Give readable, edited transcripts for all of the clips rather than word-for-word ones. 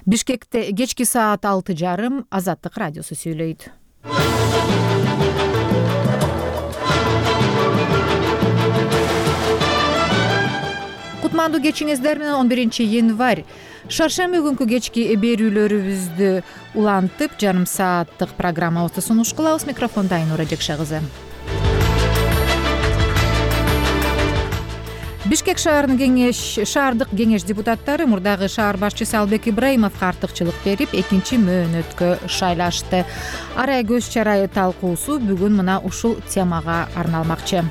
Бишкекте кечки саат 6:30 Азаттык радиосу сүйлөйт. Кутмандуу кечиңиздер менен 11-январь шаршемби күнкү кечки берүүлөрүбүздү улантып, жарым сааттык программабызды сунуш кылабыз. Микрофонда Айнура Жекше кызы. Бишкек шаардык кеңеш депутаттары мурдагы шаар башчысы Албек Ибраимовго артыкчылык берип, экинчи мөөнөткө шайлашты. Арай көз чарайы талкуусу бүгүн мына ушул темага арналмакчы.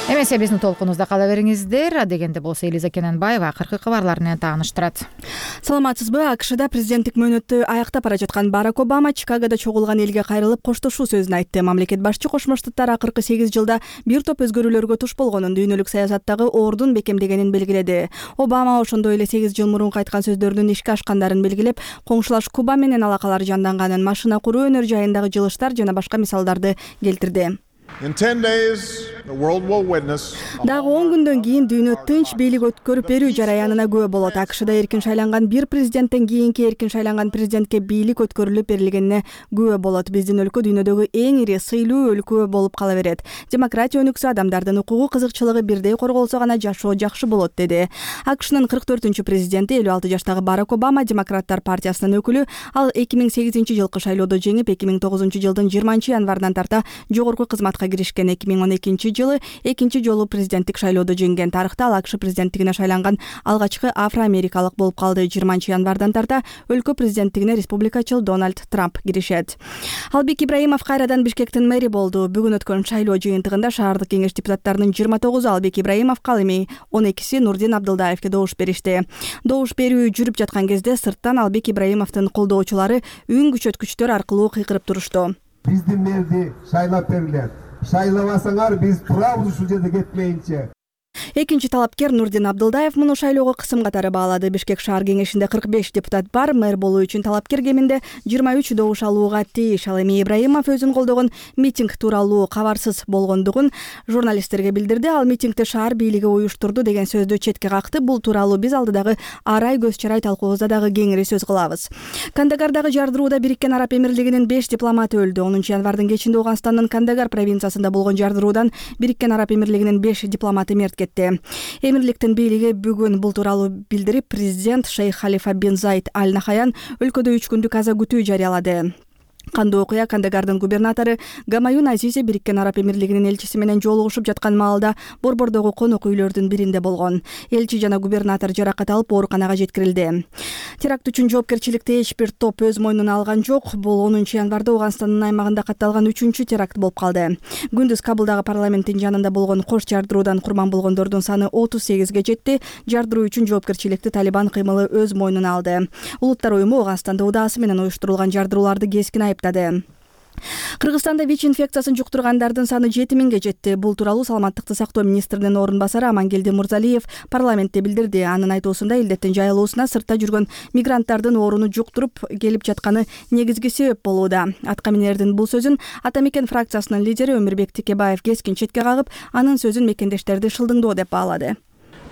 Эмесе биздин толкунубузда кала бериңиздер. Адегенде болсо Элиза Кененбаева акыркы кабарлар менен тааныштырат. Саламатсызбы? АКШда президенттик мөөнөттү аяктап бара жаткан Барак Обама Чикагода чогулган элге кайрылып коштошуу сөзүн айтты. Мамлекет башчы Кошмо Штаттар акыркы 8 жылда бир топ өзгөрүүлөргө туш болгонун, дүйнөлүк саясаттагы ордун бекемдегенин белгиледи. Обама ошондой эле 8 жыл мурун айткан сөздөрүнүн ишке ашкандарын белгилеп, коңшулаш Куба менен алакалар жанданганын, машина куруу өнөр жайындагы жылыштар жана башка мисалдарды келтирди. Дагы 10 күндөн кийин дүйнө тынч бийлик өткөрүп берүү жараянына күбө болот. АКШда эркин шайланган бир президенттен кийинки эркин шайланган президентке бийлик өткөрүлүп берилгенине күбө болот. Биздин өлкө дүйнөдөгү эң ири сыйлуу өлкө болуп кала берет. Демократия өнүксө, адамдардын укугу, кызыкчылыгы бирдей корголсо гана жашоо жакшы болот, деди. АКШнын 44-чү президенти 56 жаштагы Барак Обама Демократтар партиясынын өкүлү. Ал 2008-жылкы шайлоодо жеңип, 2009-жылдын 20-январынан тарта жогорку кызматка киришкен. 2012-жылы экинчи жолу президенттик шайлоодо жеңген. Тарыхта ал АКШ президенттигине шайланган алгачкы афро-америкалык болуп калды. 20-январдан тарта өлкө президенттигине республикачыл Дональд Трамп киришет. Албек Ибраимов кайрадан Бишкектин мэри болду. Бүгүн өткөн шайлоо жыйынтыгында шаардык кеңеш депутаттарынын 29-у Албек Ибраимовго, ал эми 12-си Нурдин Абдылдаевке добуш беришти. Добуш берүү жүрүп жаткан кезде сырттан Албек Ибраимовдун колдоочулары үн күчөткүчтөр аркылуу кыйкырып турушту. Биздин мэрди шайлап бергилер. Шайлабасаңар биз турабыз ушул жерде кетмейинче. Экинчи талапкер Нурдин Абдылдаев муну шайлоого кысым катары баалады. Бишкек шаар кеңешинде 45 депутат бар. Мэр болуу үчүн талапкер кеминде 23 добуш алууга тийиш. Ал эми Ибраимов өзүн колдогон митинг тууралуу кабарсыз болгондугун журналисттерге билдирди. Ал митингди шаар бийлиги уюштурду деген сөздү четке какты. Бул тууралуу биз алдыдагы арай көз чарай талкуубузда дагы кеңири сөз кылабыз. Кандагардагы жардырууда Бириккен Араб Эмирлигинин 5 дипломаты өлдү. 10-январдын кечинде Ооганстандын Кандагар провинциясында болгон жардыруудан Бириккен Араб Эмирлигинин 5 дипломаты мерт кетти. Эмирликтин бийлиги бүгүн бул тууралуу билдирип, президент Шейх Халифа бин Заид Аль Нахаян өлкөдө 3 күндүк аза күтүү жарыялады. Кандуу окуя Кандагардын губернатору Гамаюн Азизи Бириккен Араб Эмирлигинин элчиси менен жолугушуп жаткан маалда борбордогу конок үйлөрдүн биринде болгон. Элчи жана губернатор жаракат алып ооруканага жеткирилди. Теракт үчүн жоопкерчиликти эч бир топ өз мойнуна алган жок. Бул 10-январда Ооганстандын аймагында катталган 3-чү теракт болуп калды. Күндүз Кабылдагы парламенттин жанында болгон кош жардыруудан курман болгондордун саны 38ге жетти. Жардыруу үчүн жоопкерчиликти Талибан кыймылы өз мойнуна алды. Улуттар уюму Ооганстанда удаасы менен уюштурулган жардырууларды кескин айыптады. Кыргызстанда ВИЧ инфекциясын жуктургандардын саны 7000ге жетти. Бул тууралуу Саламаттыкты сактоо министринин орун басары Амангелди Мурзалиев парламентте билдирди. Анын айтуусунда илдеттин жайылуусуна сыртта жүргөн мигранттардын ооруну жуктуруп келип жатканы негизги себеп болууда. Атка минердин бул сөзүн Ата Мекен фракциясынын лидери Өмүрбек Текебаев кескин четке кагып, анын сөзүн мекендештерди шылдыңдоо деп баалады.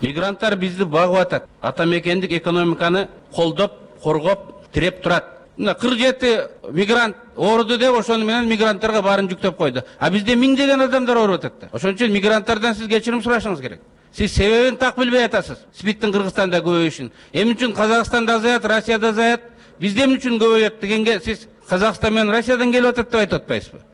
Мигранттар бизди багып атат. Ата Мекендик экономиканы колдоп, коргоп, тиреп турат. 47 мигрант ооруду деп ошону менен мигранттарга баарын жүктөп койду. А бизде миңдеген адамдар ооруп атат. Ошон үчүн мигранттардан сиз кечирим сурашыңыз керек. Сиз себебин так билбей атасыз. СПИДтин Кыргызстанда көбөйүшүн. Эмне үчүн Казакстанда азаят, Россияда азаят, бизде эмне үчүн көбөйөт дегенге сиз Казакстан менен Россиядан келип атат деп айтып атпайсызбы?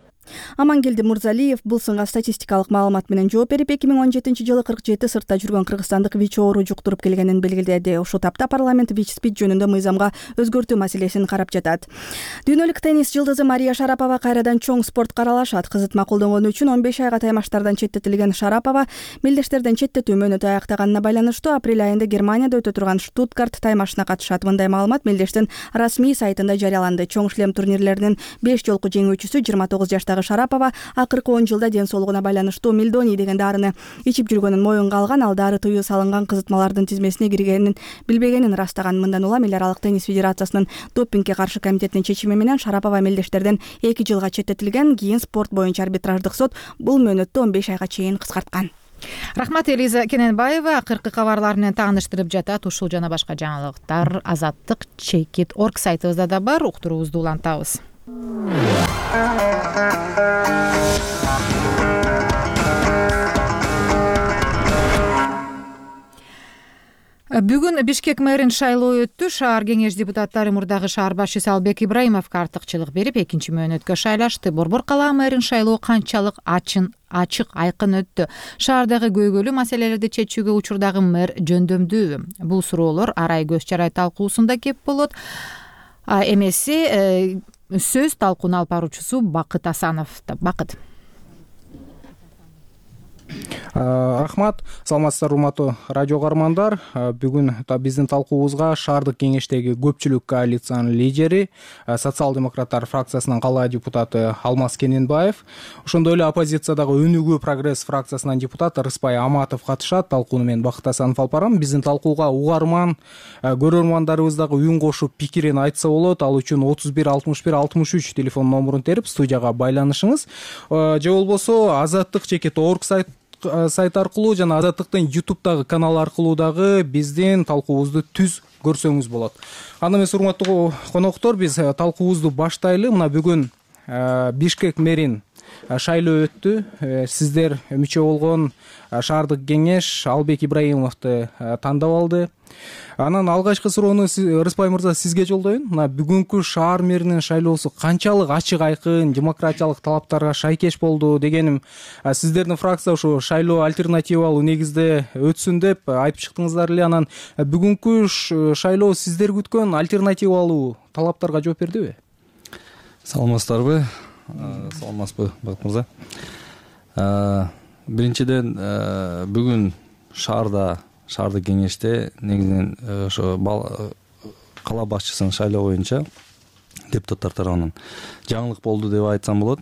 Амангелди Мурзалиев бул сынга статистикалык маалымат менен жооп берип, 2017-жылы 47 сыртта жүргөн кыргызстандык ВИЧ оору жуктуруп келгенин белгиледи. Ушул тапта парламент ВИЧ-СПИД жөнүндө мыйзамга өзгөртүү маселесин карап жатат. Дүйнөлүк теннис жылдызы Мария Шарапова кайрадан чоң спортко аралашат. Кызытма колдонгону үчүн 15 айга таймаштардан четтетилген Шарапова мелдештерден четтетүү мөөнөтү аяктаганына байланыштуу апрель айында Германияда өтө турган Штутгарт таймашына катышат. Мындай маалымат мелдештин расмий сайтында жарыяланды. Чоң шлем турнирлеринин 5 жолку жеңүүчүсү 29 жаштагы Шарапова акыркы 10 жылда ден соолугуна байланыштуу мелдоний деген дарыны ичип жүргөнүн моюнга алган. Ал дары тыюу салынган кызытмалардын тизмесине киргенин билбегенин ырастаган. Мындан улам Эл аралык теннис федерациясынын допингге каршы комитетинин чечими менен Шарапова мелдештерден 2 жылга четтетилген. Кийин спорт боюнча арбитраждык сот бул мөөнөттү 15 айга чейин кыскарткан. Рахмат, Элиза Кененбаева акыркы кабарлар менен тааныштырып жатат. Ушул жана башка жаңылыктар Азаттык Чекит.org сайтыбызда да бар. Уктуруубузду улантабыз. Бүгүн Бишкек мэрин шайлоо өттү. Шаар кеңеш депутаттары мурдагы шаар башчысы Албек Ибраимовго артыкчылык берип, экинчи мөөнөткө шайлашты. Борбор калаа мэрин шайлоо канчалык ачык, айкын өттү? Шаардагы көйгөйлүү маселелерди чечүүгө учурдагы мэр жөндөмдүүбү? Бул суроолор Арай көз чарай талкуусунда кеп болот. Эмеси сөз талкууну алып баруучусу Бакыт Асановдо. Бакыт. Рахмат, саламатсыздарбы урматтуу радио каармандар. Бүгүн биздин талкуубузга шаардык кеңештеги көпчүлүк коалициянын лидери, социал-демократтар фракциясынын калаа депутаты Алмаз Кененбаев, ошондой эле оппозициядагы Өнүгүү прогресс фракциясынын депутаты Рыспай Аматов катышат. Талкууну мен Бакыт Асанов алып барам. Биздин талкууга угарман, көрөрмандарыбыз дагы үн кошуп пикирин айтса болот. Ал үчүн 31 61 63 телефон номурун терип студияга байланышыңыз. Же болбосо Азаттык Чекит.org сайт аркылуу жана Азаттыктын YouTube'дагы канал аркылуу дагы биздин талкуубузду түз көрсөңүз болот. Анда эмес, урматтуу коноктор, биз талкуубузду баштайлы. Мына бүгүн Бишкек мэрин шайлоо өттү. Сиздер мүчө болгон шаардык кеңеш Албек Ибраимовду тандап алды. Анан алгачкы суроону Рыспай мырза сизге жолдоюн. Мына бүгүнкү шаар мэринин шайлоосу канчалык ачык, айкын, демократиялык талаптарга шайкеш болду дегеним, сиздердин фракция ушу шайлоо альтернативалуу негизде өтсүн деп айтып чыктыңыздар эле. Анан бүгүнкү шайлоо сиздер күткөн альтернативалуу талаптарга жооп бердиби? Саламатсыздарбы? Саламатсызбы, Бакыт мырза? Биринчиден, бүгүн шаардык кеңеште негизинен ошо кала башчысынын шайлоо боюнча депутаттар тарабынан жаңылык болду деп айтсам болот.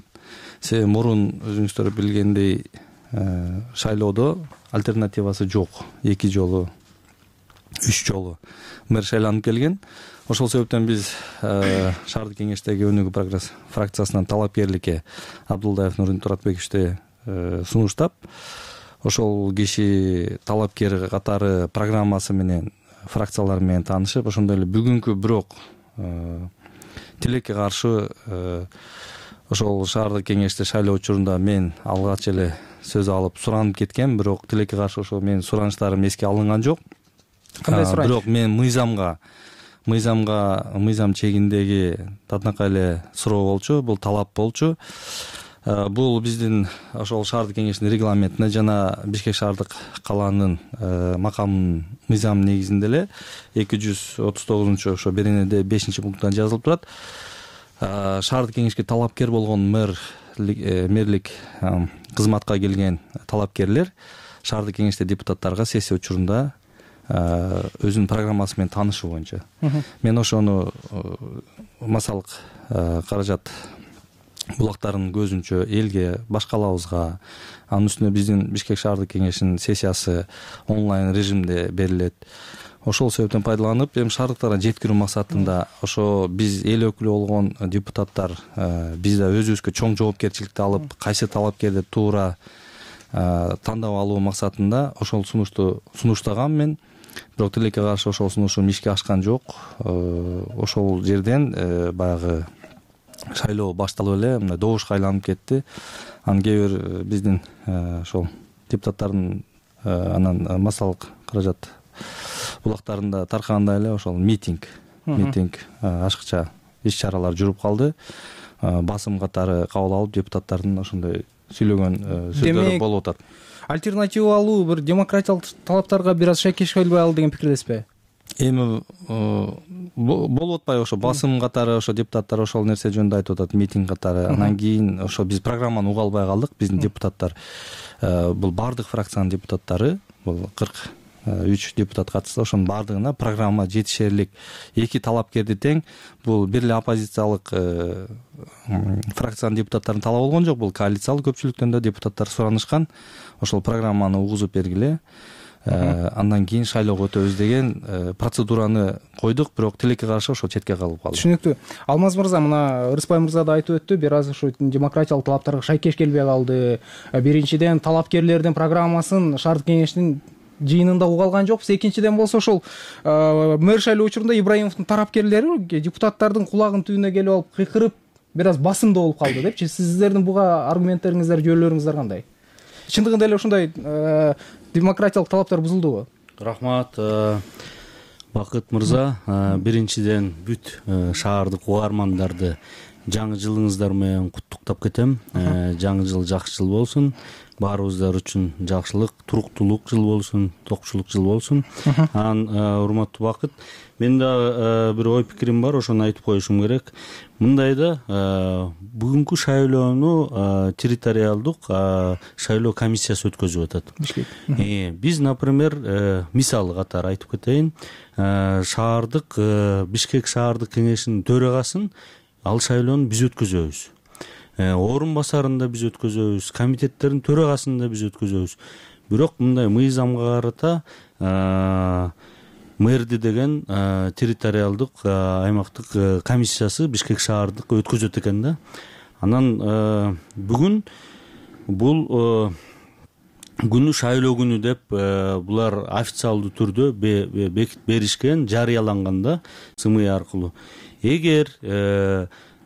Себеби мурун өзүңүздөр билгендей шайлоодо альтернативасы жок. 2 жолу, 3 жолу мэр шайланып келген. Ошол себептен биз шаардык кеңештеги Өнүгүү прогресс фракциясынан талапкерликке Абдулдаев Нурдин Туратбековичти сунуштап, ошол киши талапкер катары программасы менен фракциялар менен таанышып, ошондой эле бүгүнкү бирок тилекке каршы ошол шаардык кеңеште шайлоо учурунда мен алгач эле сөз алып суранып кеткен, бирок тилекке каршы ошол менин суранычтарым эске алынган жок. Кандай сураныч? Бирок мен мыйзам чегиндеги татынакай эле суроо болчу, бул талап болчу. Бул биздин ошол шаардык кеңештин регламентине жана Бишкек шаардык калаанын макамынын мыйзам негизинде эле 239 ошо беренеде 5-пункттан жазылып турат. Шаардык кеңешке талапкер болгон мэрлик кызматка келген талапкерлер шаардык кеңеште депутаттарга сессия учурунда өзүнүн программасы менен таанышы боюнча. Мен ошону массалык каражат булактарын көзүнчө элге, башкалабызга, анын үстүнө биздин Бишкек шаардык кеңешинин сессиясы онлайн режимде берилет. Ошол себептен пайдаланып, эми шаардыктарга жеткирүү максатында ошо биз эл өкүлү болгон депутаттар биз да өзүбүзгө чоң жоопкерчиликти алып, кайсы талапкерди туура тандап алуу максатында ошол сунушту сунуштагам мен. Бирок тилекке каршы ошол сунушум ишке ашкан жок. Ошол жерден баягы шайлоо башталып эле мына добушка айланып кетти. Анан кээ бир биздин ошол депутаттардын анан массалык каражат булактарында таркагандай эле ошол митинг ашыкча иш-чаралар жүрүп калды. Басым катары кабыл алып депутаттардын ошондой сүйлөгөн сөздөрү болуп атат. Альтернативалуу бир демократиялык талаптарга бир аз шайкеш келбей калды деген пикирдесизби? Эми болуп атпайбы ошо басым катары ошо депутаттар ошол нерсе жөнүндө айтып атат, митинг катары. Анан кийин ошо биз программаны уга албай калдык. Биздин депутаттар бул бардык фракциянын депутаттары, бул 43 депутат катышты. Ошонун бардыгына программа жетишерлик 2 талапкерди тең. Бул бир эле оппозициялык фракциянын депутаттарын талап болгон жок. Бул коалициялык көпчүлүктөн да депутаттар суранышкан. Ошол программаны угузуп бергиле. андан кийин шайлоого өтөбүз деген процедураны койдук, бирок тилекке каршы ошол четке калып калды. Түшүнүктүү. Алмаз мырза, мына Рыспай мырза да айтып өттү, бир аз ушу демократиялык талаптарга шайкеш келбей калды. Биринчиден, талапкерлердин программасын шаардык кеңештин жыйынында уга алган жокпуз. Экинчиден болсо ошол мэр шайлоо учурунда Ибраимовдун тарапкерлери депутаттардын кулагынын түбүнө келип алып кыйкырып, бир аз басымдуу болуп калды депчи. Сиздердин буга аргументтериңиздер, жөөлөрүңүздөр кандай? Чындыгында эле ушундай демократиялык талаптар бузулдубу? Рахмат, Бакыт мырза. Биринчиден бүт шаардык угармандарды жаңы жылыңыздар менен куттуктап кетем. Жаңы жыл жакшы жыл болсун. Баарыбыздар үчүн жакшылык, туруктуулук жыл болсун, токчулук жыл болсун. Урматтуу Бакыт, мен да бир ой пикирим бар, ошону айтып коюшум керек. Мындай да, бүгүнкү шайлоону территориалдык шайлоо комиссиясы өткөзүп атат. Биз, например, мисалы катары айтып кетейин, шаардык Бишкек шаардык кеңешинин төрагасын ал шайлоону биз өткөзөбүз. Орун басарын да биз өткөзөбүз, комитеттердин төрагасын да биз өткөзөбүз. Бирок мындай мыйзамга карата мэрди деген территориалдык аймактык комиссиясы Бишкек шаардык өткөзөт экен да. Анан бүгүн бул күнү шайлоо күнү деп булар официалдуу түрдө беришкен, жарыяланган да СМИ аркылуу. Эгер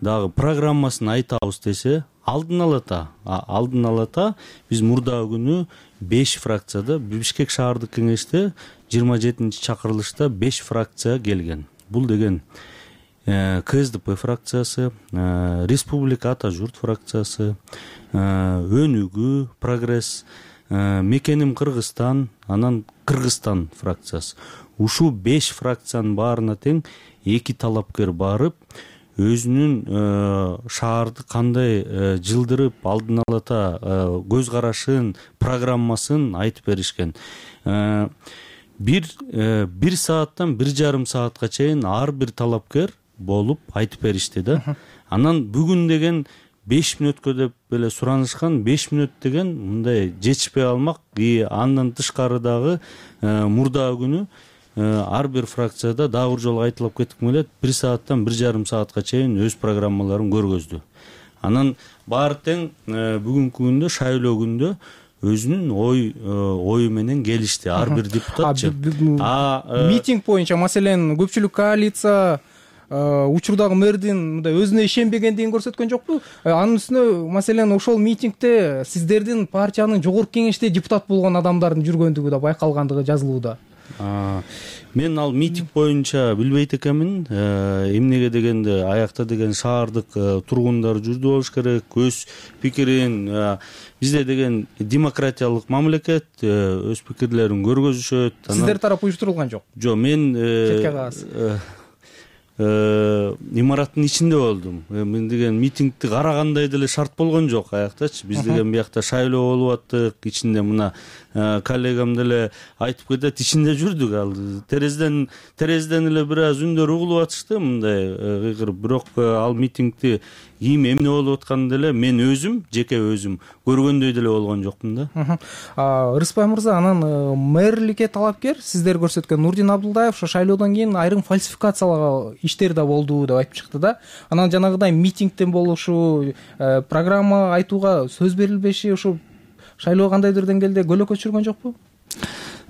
дагы программасын айтабыз десе, алдын алата биз мурдагы күнү 5 фракцияда Бишкек шаардык кеңеште 27-чакырылышта 5 фракция келген. Бул деген КСДП фракциясы, Республика Ата журт фракциясы, Өнүгүү, Прогресс, Мекеним Кыргызстан, анан Кыргызстан фракциясы. Ушул 5 фракциянын баарына тең 2 талапкер барып, өзүнүн шаарды кандай жылдырып, алдын алата көз карашын, программасын айтып беришкен. Бир сааттан 1,5 саатка чейин ар бир талапкер болуп айтып беришти да. Анан бүгүн деген 5 мүнөткө деп эле суранышкан. 5 мүнөт деген мындай жетишпей алмак. Андан тышкары дагы мурдагы күнү ар бир фракцияда дагы бир жолу айтылып кетким келет. 1 сааттан 1,5 саатка чейин өз программаларын көргөздү. Анан баары тең бүгүнкү күндө, шайлоо күндө өзүнүн ою менен келишти ар бир депутатчы. Митинг боюнча, маселен, көпчүлүк коалиция учурдагы мэрдин мындай өзүнө ишенбегендигин көрсөткөн жокпу? Анын үстүнө, маселен, ошол митингде сиздердин партиянын жогорку кеңеште депутат болгон адамдардын жүргөндүгү да байкалгандыгы жазылууда. Мен ал митинг боюнча билбейт экенмин. Эмнеге дегенде, аякта деген шаардык тургундар жүрдү болуш керек, өз пикирин, бизде деген демократиялык мамлекет, өз пикирлерин көргөзүшөт. Сиздер тарап уюштурулган жок? Жок, мен имараттын ичинде болдум. Мен деген митингди карагандай деле шарт болгон жок аяктачы. Биз деген биякта шайлоо болуп аттык, ичинде мына коллегам деле айтып кетет, ичинде жүрдүк. Ал терезеден эле бир аз үндөр угулуп атышты, мындай кыйкырып. Бирок ал митингди ким эмне болуп атканын деле мен өзүм, жеке өзүм көргөндөй деле болгон жокмун да. Рыспай мырза, анан мэрликке талапкер сиздер көрсөткөн Нурдин Абдылдаев ошо шайлоодон кийин айрым фальсификациялоо иштер да болду деп айтып чыкты да. Анан жанагыдай митингден болушу, программа айтууга сөз берилбеши ошо шайлоо кандайдыр деңгээлде көлөкө түшүргөн жокпу?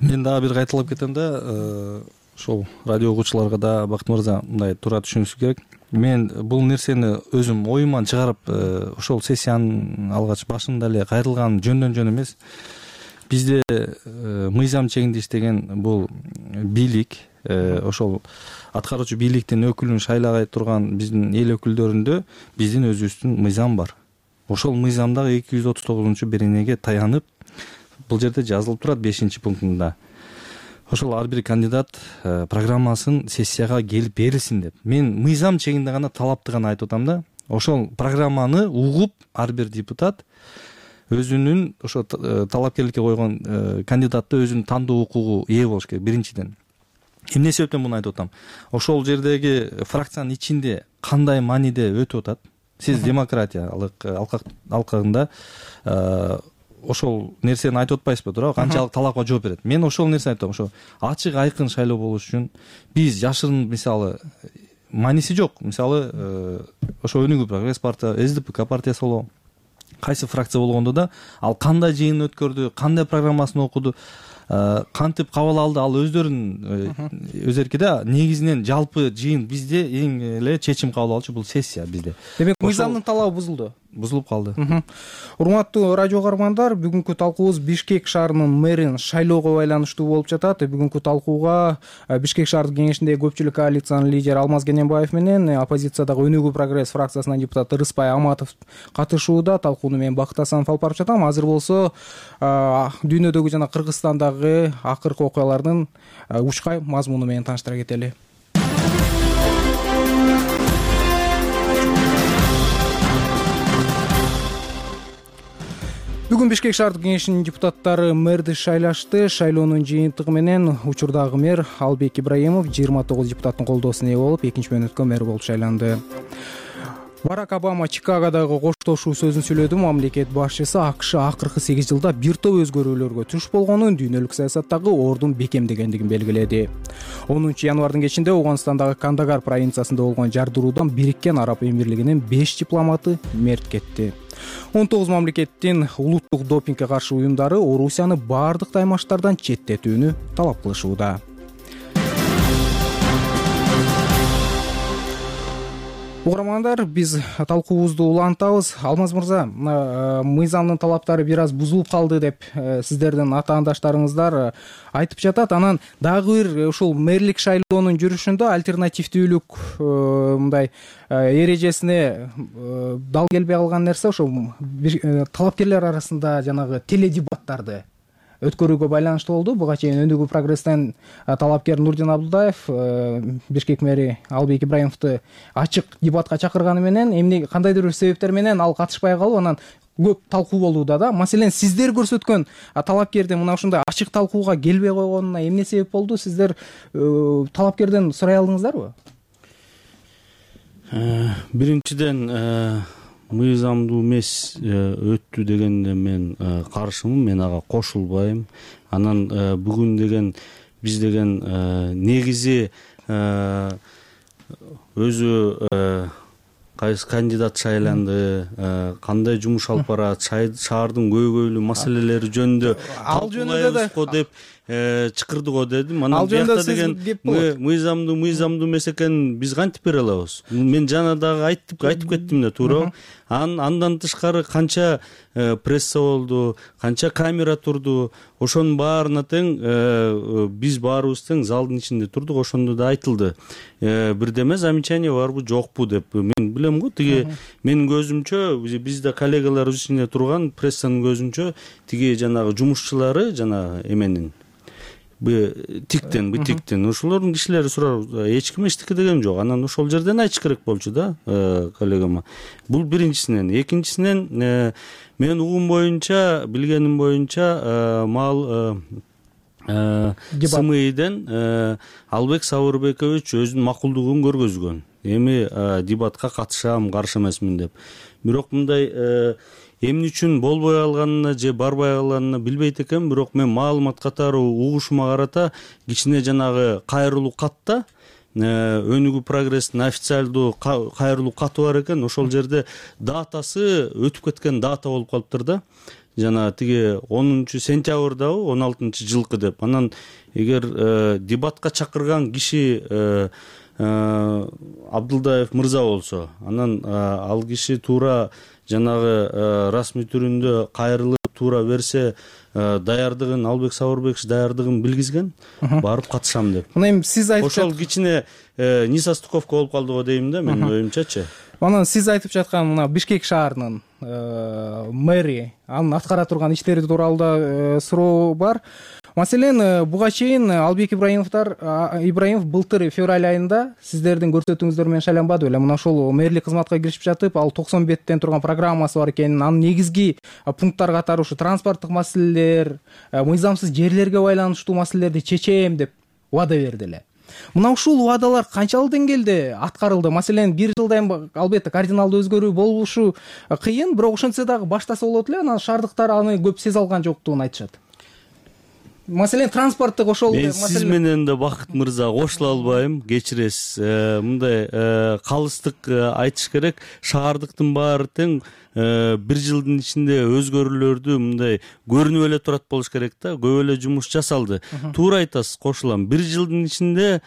Мен дагы бир кайталап кетем да, ошол радио угуучуларга да Бакыт мырза мындай туура түшүнүшү керек. Мен бул нерсени өзүм оюман чыгарып, ошол сессиянын алгач башында эле кайрылган жөндөн жөн эмес. Бизде мыйзам чегинде иштеген бул бийлик, ошол аткаруучу бийликтин өкүлүн шайлагай турган биздин эл өкүлдөрүндө биздин өзүбүздүн мыйзам бар. Ошол мыйзамдагы 239-беренеге таянып, бул жерде жазылып турат 5-пунктунда. Ошол ар бир кандидат программасын сессияга келип берилсин деп. Мен мыйзам чегинде гана талапты гана айтып атам да. Ошол программаны угуп ар бир депутат өзүнүн ошо талапкерликке койгон кандидатты өзүнүн тандоо укугу ээ болуш керек биринчиден. Эмне себептен муну айтып атам? Ошол жердеги фракциянын ичинде кандай мааниде өтүп атат? Сиз демократия алкагында ошол нерсени айтып атпайсызбы туурабы, канчалык талапка жооп берет. Мен ошол нерсени айтам, ошо ачык айкын шайлоо болуш үчүн биз жашырын мисалы мааниси жок. Мисалы ошо Өнүгүү прогресс партия, СДПК партиясы болобу, кайсы фракция болгондо да ал кандай жыйын өткөрдү, кандай программасын окуду, кантип кабыл алды, ал өздөрүнүн негизинен жалпы жыйын бизде эң эле чечим кабыл алчу бул сессия бизде. Демек мыйзамдын талабы бузулуп калды. Урматтуу радио каармандар, бүгүнкү талкуубуз Бишкек шаарынын мэрин шайлоого байланыштуу болуп жатат. Бүгүнкү талкууга Бишкек шаардык кеңешиндеги көпчүлүк коалициянын лидери Алмаз Кененбаев менен оппозициядагы Өнүгүү прогресс фракциясынын депутаты Рыспай Аматов катышууда. Талкууну мен Бакыт Асанов алып барып жатам. Азыр болсо дүйнөдөгү жана Кыргызстандагы акыркы окуялардын учкай мазмуну менен тааныштыра кетели. Бүгүн Бишкек шаардык кеңешинин депутаттары мэрди шайлашты. Шайлоонун жыйынтыгы менен учурдагы мэр Албек Ибраимов 29 депутаттын колдоосуна ээ болуп, экинчи мөөнөткө мэр болуп шайланды. Барак Обама Чикагодагы коштошуу сөзүн сүйлөдү. Мамлекет башчысы АКШ акыркы 8 жылда бир топ өзгөрүүлөргө туш болгонун, дүйнөлүк саясаттагы ордун бекемдегендигин белгиледи. 10 январдын кечинде Ооганстандагы Кандагар провинциясында болгон жардыруудан Бириккен Араб Эмирлигинин 5 дипломаты мерт кетти. 19 мамлекеттин улуттук допингге каршы уюмдары Орусияны баардык таймаштардан четтетүүнү талап кылышууда. Угармандар, биз талкуубузду улантабыз. Алмаз мырза, мыйзамдын талаптары бир аз бузулуп калды деп сиздердин атаандаштарыңыздар айтып жатат. Анан дагы бир ушул мэрлик шайлоонун жүрүшүндө альтернативдүүлүк мындай эрежесине дал келбей калган нерсе ошо талапкерлер арасында жанагы теледебаттарды өткөрүүгө байланыштуу болду. Буга чейин Өнүгүү прогресстен талапкер Нурдин Абдулдаев Бишкек мэри Албек Ибраимовду ачык дебатка чакырганы менен эмне кандайдыр бир себептер менен ал катышпай калып, анан көп талкуу болууда да. Маселен, сиздер көрсөткөн талапкердин мына ушундай ачык талкууга келбей койгонуна эмне себеп болду? Сиздер талапкерден сурай алдыңыздарбы? Биринчиден, мыйзамдуу эмес өттү дегенде мен каршымын, мен ага кошулбайм. Анан бүгүн деген биз деген негизи өзү кайсы кандидат шайланды, кандай жумуш алып барат, шаардын көйгөйлүү маселелери жөнүндө талкуулайбызго деп чакырдык го дедим. Анан биякта деген мыйзамдуу эмес экенин биз кантип бере алабыз? Мен жана дагы айтып кеттим да, туурабы? Андан тышкары канча пресса болду, канча камера турду, ошонун баарына тең биз баарыбыз тең залдын ичинде турдук, ошондо да айтылды. Бирдеме замечание барбы, жокпу деп. Мен билем го, тиги менин көзүмчө, бизде коллегалар ичинде турган прессанын көзүнчө тиги жанагы жумушчулары жана эменин тиктен ошолордун кишилери сурар, эч ким эчтеке деген жок. Анан ошол жерден айтыш керек болчу да коллегама. Бул биринчисинен. Экинчисинен, мен угум боюнча, билгеним боюнча, мал СМИден Албек Сабырбекович өзүнүн макулдугун көргөзгөн. Эми дебатка катышам, каршы эмесмин деп. Бирок мындай эмне үчүн болбой калганына же барбай калганына билбейт экенмин. Бирок мен маалымат катары угушума карата кичине жанагы кайрылуу катта Өнүгүү прогресстин официалдуу кайрылуу каты бар экен. Ошол жерде датасы өтүп кеткен дата болуп калыптыр да. Жана тиги 10 сентябрдабы 16 жылкы деп. Анан эгер дебатка чакырган киши Абдулдаев мырза болсо, анан ал киши туура жанагы расмий түрүндө кайрылып туура берсе, даярдыгын, Албек Сабырбекович даярдыгын билгизген, барып катышам деп. Мына эми сиз айтып ошол кичине несостыковка болуп калды го дейм да, менин оюмчачы. Анан сиз айтып жаткан мына Бишкек шаарынын мэри, анын аткара турган иштери тууралуу да суроо бар. Маселен, буга чейин Албек Ибраимов былтыр февраль айында сиздердин көрсөтүүңүздөр менен шайланбады беле? Мына ошол мэрлик кызматка киришип жатып, ал 90 беттен турган программасы бар экенин, анын негизги пункттар катары ушу транспорттук маселелер, мыйзамсыз жерлерге байланыштуу маселелерди чечем деп убада берди эле. Мына ушул убадалар канчалык деңгээлде аткарылды? Маселен, бир жылдан албетте кардиналдуу өзгөрүү болушу кыйын, бирок ошентсе дагы баштаса болот эле. Анан шаардыктар аны көп сезе алган жоктугун айтышат. Маселен, транспорттук ошол мен сиз менен да Бакыт мырза кошула албайм, кечиресиз. Мындай калыстык айтыш керек. Шаардыктын баары тең бир жылдын ичинде өзгөрүүлөрдү мындай көрүнүп эле турат болуш керек да. Көп эле жумуш жасалды. Туура айтасыз, кошулам. Бир жылдын ичинде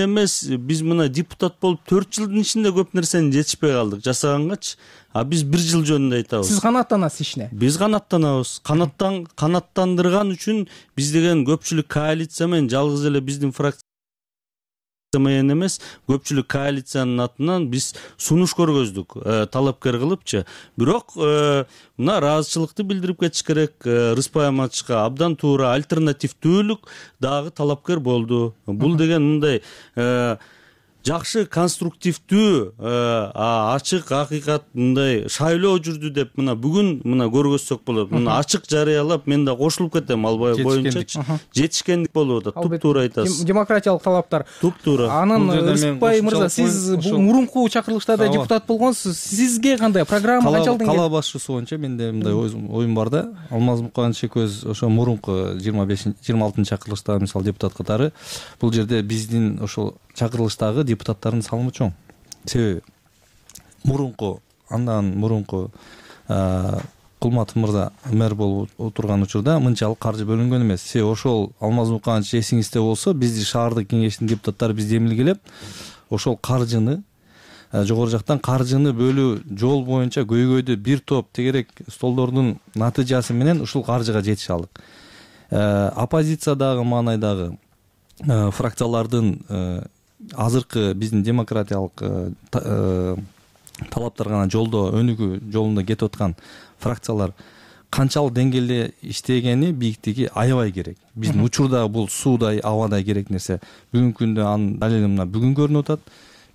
эмес, биз мына депутат болуп 4 жылдын ичинде көп нерсени жетишпей калдык жасагангачы. А биз бир жыл жөнүндө айтабыз. Сиз канааттанасыз ишине? Биз канааттанабыз. Канааттандырган үчүн биз деген көпчүлүк коалиция менен жалгыз эле биздин фракция менен эмес, көпчүлүк коалициянын атынан биз сунуш көргөздүк, талапкер кылыпчы. Бирок мына ыраазычылыкты билдирип кетиш керек. Рыспай Аматовичка абдан туура альтернативдүүлүк дагы талапкер болду. Бул деген мындай жакшы, конструктивдүү, ачык, акыйкат мындай шайлоо жүрдү деп мына бүгүн мына көргөзсөк болот. Мына ачык жарыялап мен да кошулуп кетем ал боюнча. Жетишкендик болуп атат. Туп-туура айтасыз. Демократиялык талаптар. Туп-туура. Анан Рыспай мырза, сиз мурунку чакырылыштарда депутат болгонсуз. Сизге кандай программа канчалык деңгээлде? Кала башчысы боюнча менде мындай оюм бар да. Алмаз Муканович экөөбүз ошо мурунку 25-26 чакырылышта мисалы депутат катары бул жерде биздин ошол чакырылыштагы депутаттардын салымы чоң. Себеби андан мурунку Кулматов мырза мэр болуп отурган учурда мынчалык каржы бөлүнгөн эмес. Себеби ошол Алмаз Муканович эсиңизде болсо, биздин шаардык кеңештин депутаттары бизди эмилгелеп, ошол каржыны жогору жактан каржыны бөлүү жол боюнча көйгөйдү бир топ тегерек столдордун натыйжасы менен ушул каржыга жетише алдык. Оппозициядагы маанайдагы фракциялардын азыркы биздин демократиялык талаптар гана жолдо өнүгүү жолунда кетип аткан фракциялар канчалык деңгээлде иштегени, бийиктиги аябай керек. Биздин учурда бул суудай, абадай керек нерсе. Бүгүнкү күндө анын далили мына бүгүн көрүнүп атат.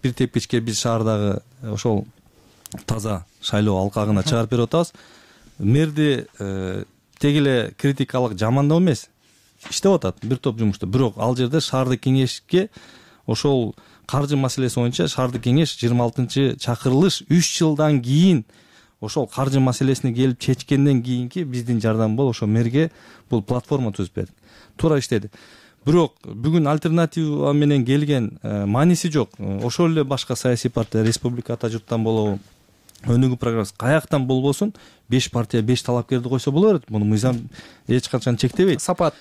Бир тепкичке биз шаардагы ошол таза шайлоо алкагына чыгарып берип атабыз. Мэрди тег эле критикалык жамандоо эмес, иштеп атат бир топ жумушту. Бирок ал жерде шаардык кеңешке ошол каржы маселеси боюнча шаардык кеңеш 26 чакырылыш 3 жылдан кийин ошол каржы маселесине келип чечкенден кийинки биздин жардам болуп ошо мэрге бул платформа түзүп берди. Туура иштеди. Бирок бүгүн альтернатива менен келген мааниси жок. Ошол эле башка саясий партия, республика ата журттан болобу, өнүгүү программасы каяктан болбосун 5 партия 5 талапкерди койсо боло берет. Муну мыйзам эч качан чектебейт. Сапат.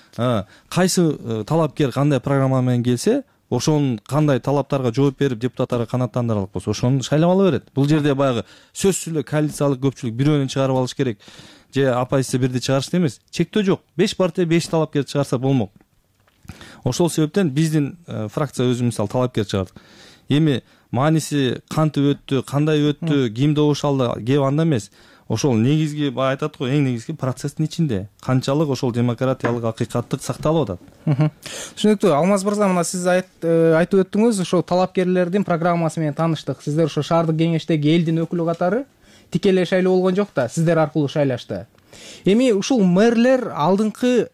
Кайсы талапкер кандай программа менен келсе, ошонун кандай талаптарга жооп берип депутаттарга канааттандыра алат болсо, ошону шайлап ала берет. Бул жерде баягы сөзсүз эле коалициялык көпчүлүк бирөөнү чыгарып алыш керек же оппозиция бирди чыгарышты эмес. Чектөө жок. 5 партия 5 талапкерди чыгарса болмок. Ошол себептен биздин фракция өзү мисалы талапкер чыгардык. Эми мааниси кантип өттү, кандай өттү, ким добуш алды, кеп анда эмес. Ошол негизги баягы айтат го, эң негизги процесстин ичинде канчалык ошол демократиялык акыйкаттык сакталып атат. Түшүнүктүү. Алмаз мырза, мына сиз айтып өттүңүз, ошо талапкерлердин программасы менен тааныштык. Сиздер ошо шаардык кеңештеги элдин өкүлү катары тикелей шайлоо болгон жок да, сиздер аркылуу шайлашты. Эми ушул мэрлер алдыңкы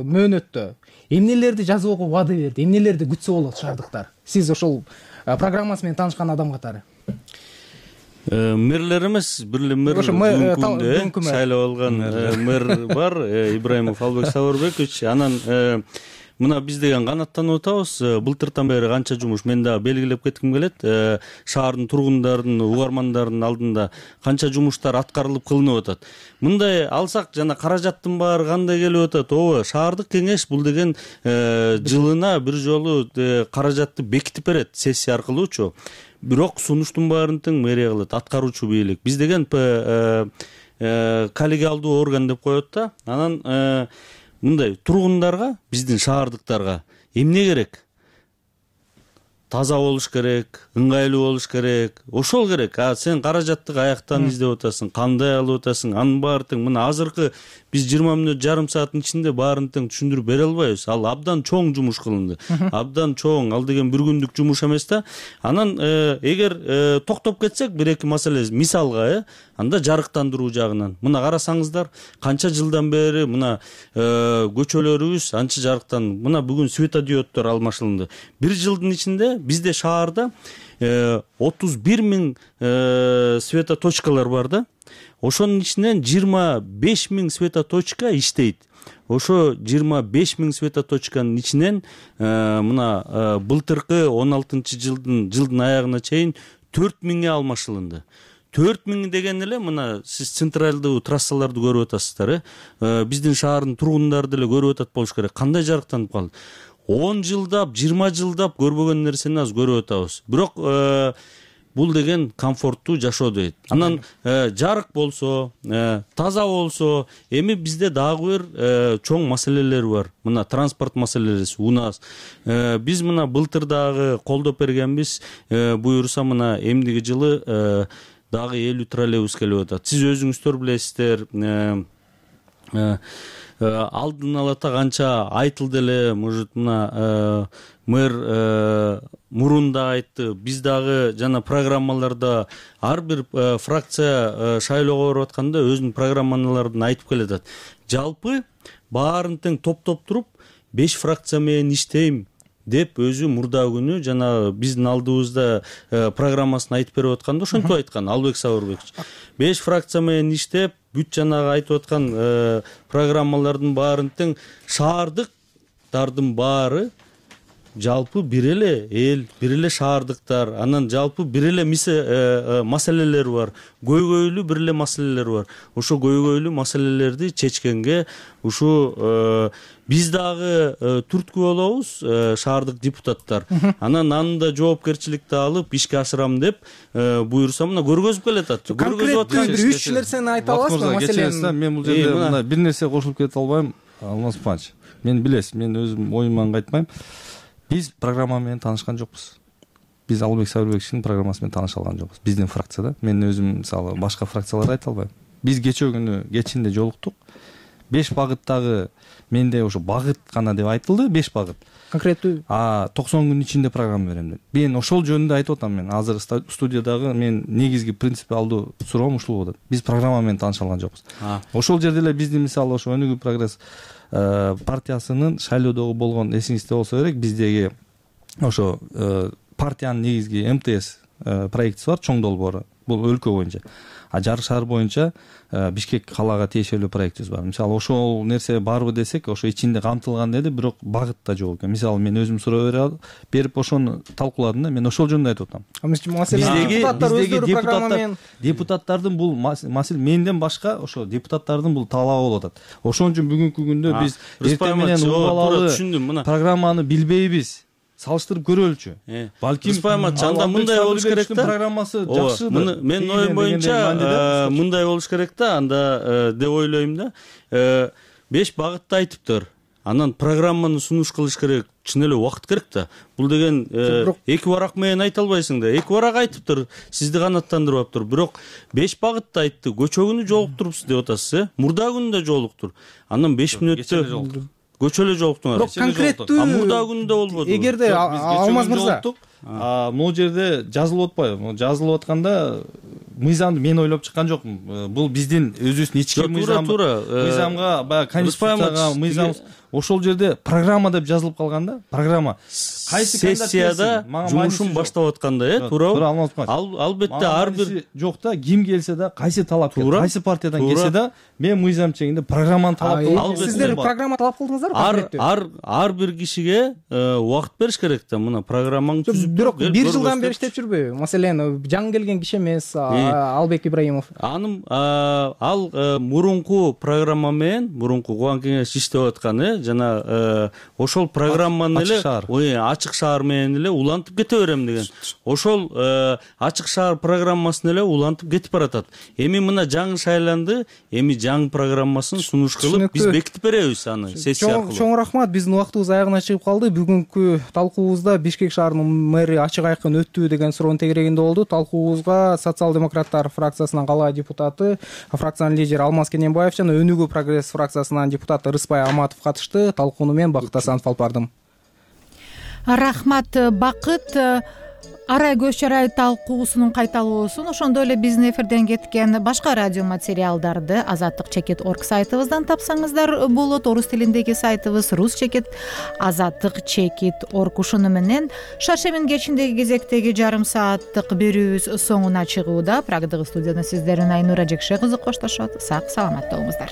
мөөнөттө эмнелерди жазууга убада берди, эмнелерди күтсө болот шаардыктар? Сиз ошол программасы менен таанышкан адам катары. Мэрлер эмес, бир эле мэр бүгүнкү шайлап алган мэр бар, Ибраимов Албек Сабырбекович. Анан мына биз деген канааттанып атабыз. Былтыртан бери канча жумуш мен дагы белгилеп кетким келет. Шаардын тургундарын, угармандардын алдында канча жумуштар аткарылып кылынып атат. Мындай алсак жана каражаттын баары кандай келип атат? Ооба, шаардык кеңеш бул деген жылына бир жолу каражатты бекитип берет сессия аркылуучу. Бирок сунуштун баарын тең мэрия кылат, аткаруучу бийлик. Биз деген коллегиалдуу орган деп коет да. Анан мындай тургундарга, биздин шаардыктарга эмне керек? таза болуш керек, ыңгайлуу болуш керек, ошол керек. Сен каражатты каяктан издеп атасың, кандай алып атасың, анын баары тең. Мына азыркы биз 20 мүнөт, жарым сааттын ичинде баарын тең түшүндүрүп бере албайбыз. Ал абдан чоң жумуш кылынды. Абдан чоң. Ал деген бир күндүк жумуш эмес да. Анан эгер токтоп кетсек, бир-эки маселе мисалга, анда жарыктандыруу жагынан. Мына карасаңыздар, канча жылдан бери мына көчөлөрүбүз анча жарыктан. Мына бүгүн светодиоддор алмашылды. Бир жылдын ичинде бизде шаарда 31 миң светоточкалар бар да. Ошонун ичинен 25 миң светоточка иштейт. Ошо 25 миң светоточканын ичинен мына былтыркы 16-жылдын аягына чейин 4 миңге алмашылынды. 4 миң деген эле мына сиз централдуу трассаларды көрүп атасыздар, биздин шаардын тургундары деле көрүп атат болуш керек. Кандай жарыктанып калды? 10 жылдап, 20 жылдап көрбөгөн нерсени азыр көрүп атабыз. Бирок бул деген комфорттуу жашоо дейт. Анан жарык болсо, таза болсо, эми бизде дагы бир чоң маселелер бар. Мына транспорт маселелери, УНАС. Биз мына былтыр дагы колдоп бергенбиз. Буюрса мына эмдиги жылы дагы 50 троллейбус келип атат. Сиз өзүңүздөр билесиздер, алдын ала канча айтылды эле, может мына мэр мурун да айтты. Биз дагы жана программаларда ар бир фракция шайлоого барып атканда өзүнүн программаларын айтып келатат. Жалпы баарын тең топтоп туруп 5 фракция менен иштейм деп өзү мурда күнү жана биздин алдыбызда программасын айтып берип атканда ошентип айткан Албек Сабырбекович. 5 фракция менен иштеп, бүт жанагы айтып аткан программалардын баарын тең шаардыктардын баары жалпы бир эле эл, бир эле шаардыктар, анан жалпы бир эле маселелер бар. Көйгөйлүү бир эле маселелер бар. Ошо көйгөйлүү маселелерди чечкенге ушу биз дагы түрткү болобуз, шаардык депутаттар. Анан аны да жоопкерчиликти алып ишке ашырам деп буюрса мына көргөзүп келатат. Конкреттүү бир 3 нерсени айта аласызбы маселени? Мен бул жерде мына бир нерсе кошулуп кете албайм, Алмаз Панович. Мен билесиз, мен өзүм оюман кайтпайм. Биз программа менен таанышкан жокпуз. Биз Албек Сабырбековичтин программасы менен тааныша алган жокпуз. Биздин фракцияда. Мен өзүм мисалы башка фракцияларды айта албайм. Биз кечээ күнү кечинде жолуктук. 5 багыттагы менде ошо багыт гана деп айтылды, 5 багыт. Конкреттүү 90 күн ичинде программа берем деп. Мен ошол жөнүндө айтып атам. Мен азыр студиядагы мен негизги принципиалдуу суроом ушул болот. Биз программа менен тааныша алган жокпуз. Ошол жерде эле биздин мисалы ошо Өнүгүү прогресс партиясынын шайлоодогу болгон эсиңизде болсо керек, биздеги ошо партиянын негизги МТС проектиси бар, чоң долбоору. Бул өлкө боюнча. Жарык шаар боюнча Бишкек калаага тиешелүү проектибиз бар. Мисалы ошол нерсе барбы десек, ошо ичинде камтылган деди, бирок багытта жок экен. Мисалы мен өзүм суроо берип ошону талкууладым да, мен ошол жөнүндө айтып атам. Биздеги депутаттардын бул маселе менден башка ошо депутаттардын бул талабы болуп атат. Ошон үчүн бүгүнкү күндө биз эртең менен убалалуу программаны билбейбиз. Салыштырып көрөлүчү. Балким анда мындай болуш керек да. Программасы жакшыдыр. Мен оюм боюнча мындай болуш керек да, анда деп ойлойм да. 5 багытты айтыптыр. Анан программаны сунуш кылыш керек. Чын эле убакыт керек да. Бул деген 2 барак менен айта албайсың да. 2 барак айтыптыр, сизди канаттандырып аптыр. Бирок 5 багытты айтты. Көчө күнү жолуктурупсуз деп атасыз, Мурда күнү да жолуктур. Анан 5 мүнөттө көчөлө жолуктуңар. Бирок конкреттүү мурда күндө болбоду. Эгерде Алмаз мырза могул жерде жазылып атпайбы? Жазылып атканда мыйзамды мен ойлоп чыккан жокмун. Бул биздин өзүбүздүн ички мыйзамга, баягы конституцияга мыйзам ошол жерде программа деп жазылып калган да. Программа. Кайсы сессияда жумушун баштап атканда, туурабы? Албетте ар бир жок да, ким келсе да, кайсы талапкер, кайсы партиядан келсе да, мен мыйзам чегинде программаны талап кылам. Сиздер программа талап кылдыңыздарбы? Ар бир кишиге убакыт бериш керек да. Мына программаны түзүп, бирок 1 жылдан бери иштеп жүрбөйбү? Маселен, жаңы келген киши эмес, Албек Ибраимов. Анын ал мурунку программа менен мурунку Кубан кеңеш иштеп аткан жана ошол программаны эле ачык шаар менен эле улантып кете берем деген. Ошол ачык шаар программасын эле улантып кетип баратат. Эми мына жаңы шайланды, эми жаңы программасын сунуш кылып биз бекитип беребиз аны сессия аркылуу. Чоң рахмат. Биздин убактыбыз аягына чыгып калды. Бүгүнкү талкуубузда Бишкек шаарынын мэри ачык айкын өттү деген суроонун тегерегинде болду. Талкуубузга социал-демократтар фракциясынын кала депутаты, фракциянын лидери Алмаз Кененбаев жана Өнүгүү прогресс фракциясынын депутаты Рыспай Аматов катышты. Талкууну мен Бакыт Асанов алып бардым. Рахмат Бакыт. Арай көз чарай талкуусунун кайталоосун, ошондой эле биздин эфирден кеткен башка радио материалдарды azatlyk.org сайтыбыздан тапсаңыздар болот. Орус тилиндеги сайтыбыз rus.azatlyk.org. Ушуну менен Шаршемин кечиндеги кезектеги жарым сааттык берүүбүз соңуна чыгууда. Прагдагы студияда сиздер менен Айнура Жекше кызы коштошот. Сак саламатта болуңуздар.